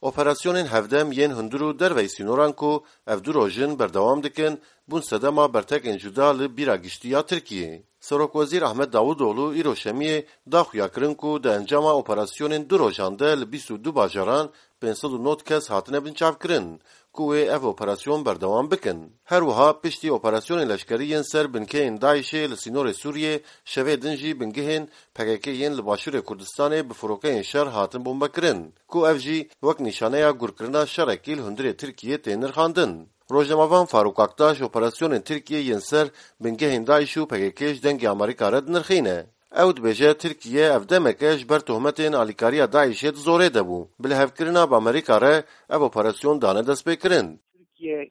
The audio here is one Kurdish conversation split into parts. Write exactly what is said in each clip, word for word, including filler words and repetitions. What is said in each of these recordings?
Operasyonên hevdem yên hundir û derveyî sînoran ku ev du roj in berdewam dikin, bûn sedema bertekên cuda li bîra giştî ya Tirkiyê. Serokwezîr Ahmet Davutoğlu îro Şemiyê da xuya kirin ku di encama operasyonên du rojan de li bîst û du bajaran pênc sed û nod kes hatine binçavkirin, ku wê ev operasyon berdewam bikin. Her wiha piştî operasyonên leşkerî yên ser bingehên DAIŞ'ê li sînorê Sûriyê, şevê din jî bingehên P K K yên li Başûrê Kurdistanê bi firokeyên şer hatin bombekirin, ku ev jî wek nîşaneya gurkirina şerekî li hundirê Tirkiyê tê nirxandin. Rojnamevan Farûk Aktaş operasyonên Tirkiyê yên ser bingehên DAIŞ û P K K ji dengê Amerîka re dinirxîne. Ew dibêje, Tirkiye ev demeke ji ber tohmetên alîkariya DAIŞ'ê di zorê de bû. Bi lihevkirina bi Amerîka re ev operasyon dane destpêkirin. Tirkiye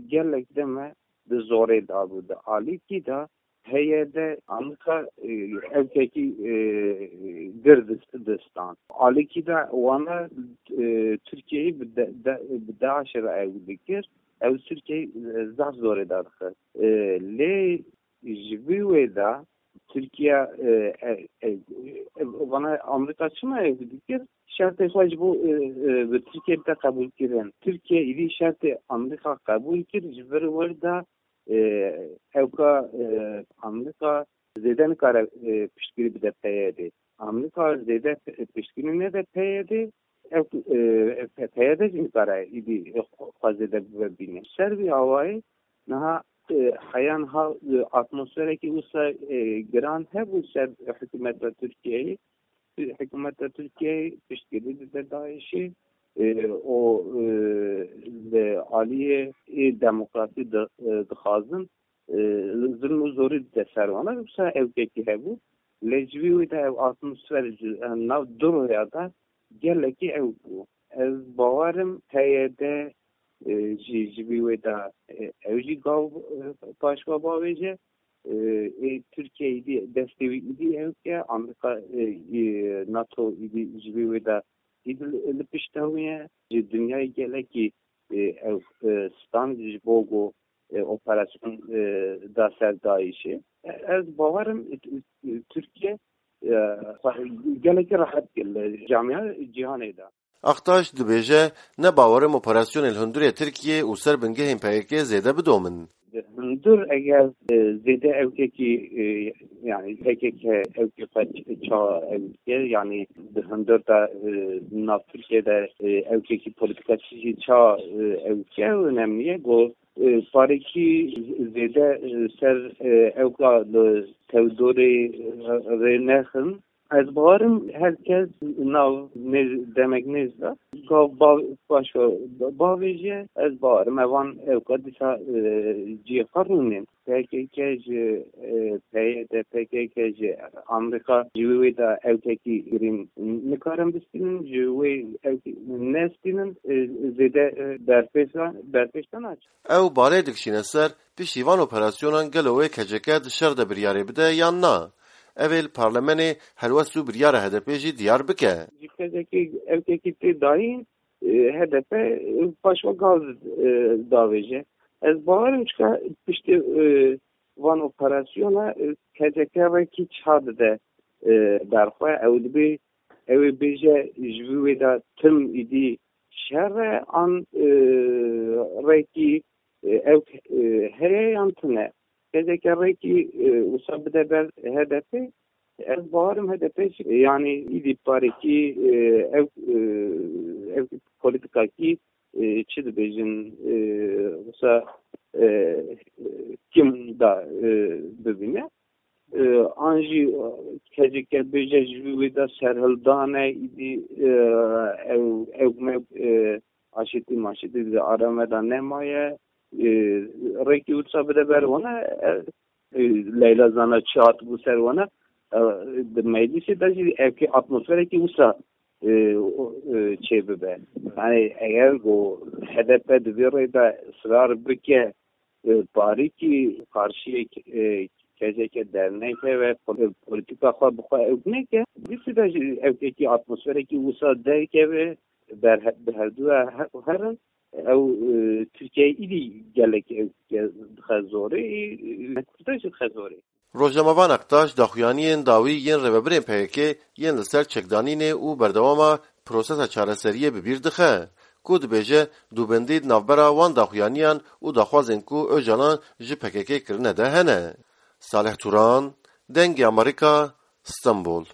gelek dem e di zorê de bû, di alîkî de P Y D Amerîka, e, ewkekî, e, gir dist-, distan. Alîkî de wana, e, Tirkiyeyê bi de-, de-, bi DAIŞ'ê re ew dikir. Ew Tirkiyeyê, e, zaf zorê de dixist. E, lê ji vî wê de Tirkiye, e, e, e, e, vana Amerîka çima ev dikir? Şertê xwe ji bo, e, e, bi Tirkiye bide qebûlkirin. Tirkiye îdî şertê Amerîka qebûl kir, ji vir wir de, e, ewka, e, Amerîka zêde nikare, e, piştgirî bide P Y D. Amerîka zêde p-, piştgirî nede P Y D, ew, e, P-, P Y D jî nikare îdî xwe zêde bibîne. Ser vî awayî niha, e, heya niha, e, atmosferekî wisa, e, giran hebû ser hikûmeta Tirkiyeyê. Hikûmeta Tirkiyeyê piştgirî dide DAIŞ'ê, e, û, e, li aliyê ê demokrasî di-, e, dixwazin, e, zilm û zorî dide ser wan. Wisa ewkekî hebû. Lê ji vî wê de ev atmosfer ji, e, nav du roya de gelekî ew bû. Ez bawer im P Y D, e, jî ji vî wê de, e, ew jî gav, e, paşva bavêje. E, ê Tirkiye îdî destê wî îdî ew ke Amerîka, e, e, NATO îdî ji vî wê de îdî li, li pişta wî ye. Ji dinyayê gelekî, e, ew, e, stand ji bo ku, e, operasyon, e, da ser DAIŞ'ê. E, ez bawer im, e, e, Tirkiye, e, xwe gelekî rehet kir li camiya cîhanê de. Aktaş dibêje, ne bawer im operasyonên li hundirê Tirkiyê û ser bingehên P K K zêde bidomin. Di hundir eger, e, zêde ewkekî, e, yani P K K ewkê xwe ç-, ça ew dike, yani di hundir de, e, nav Tirkiye de, e, ewkekî polîtîkacî jî ça, e, ew dike, ew önemli ye. Go, e, parekî zêde, e, ser, e, ewka li tevdorê, e, rê nexin. Ez bawerim her kes nav nêz-, demek nêz de gav ba-, paşo bavêje. Ez bawerim evan ewka dîsa, e, cihê xwe rûnên. P K K ji, e, P Y D, P K K ji Amerîka ji wê wê de ewkekî girîn nikarin bistînin, ji wê ewkî nestînin, e, zêde, e, berpêşan, berpêşan naçin. Ew balê dikişîne ser, piştî van operasyonan gelo wê K C K di şer de biryarê bide yan na? Ev ê li parlamenê helwest û biryara H D P jî diyar bike. Ji K C K ewkekî tê dayîn, e, H D P, e, paşva gav, e, davêje. Ez bawerim çika piştî, e, van operasyona, e, K C K rekî ça dide, e, berxwe. Ew dibê, ew ê bêje ji vî wê de tim îdî şer e, an, e, rekî, e, ew, e, heye yan tune. K C K rekî, e, wisa bide ber H D P, ez bawerim H D P jî, yani îdî parekî, e, ew, e, ew polîtîkakî, e, çi dibêjin, e, wisa, e, kim da, e, bibîne. E, an jî, e, K C K bêje ji wî wê de serhildane, îdî, e, ew, ew me, e, aşitî maşitî di arame de nemaye. E, rêkî wisa bide ber wana, e, e, Leyla Zana çi hatibû ser wana, e, di meclisê de jî ewkê atmosferekî wisa, e, o, e, çê bibe. Yani eger ku H D P di vê rê de israr bike, e, parîkî karşiyê, e, K C K derneke ve pol-, polîtîka xwe bi xwe ew neke, dîsî de jî ewkekî atmosferekî wisa derkeve, ber he-, bi hevdu ve he-, herin, ew, e, Tirkiye îdî gelek ew ke-, dixe zorê, e, Kurda jî dixe zorê. Rojnamevan Aktaş daxuyaniyên dawî yên rêvebirên P K K yên li ser çekdanînê û berdewama prosesa çareseriyê bi bîr dixe, ku dibêje dûbendî di navbera wan daxuyaniyan û daxwazên ku Ocalan ji P K K kirine de hene. Salih Turan, Dengê Amerîka, Stenbol.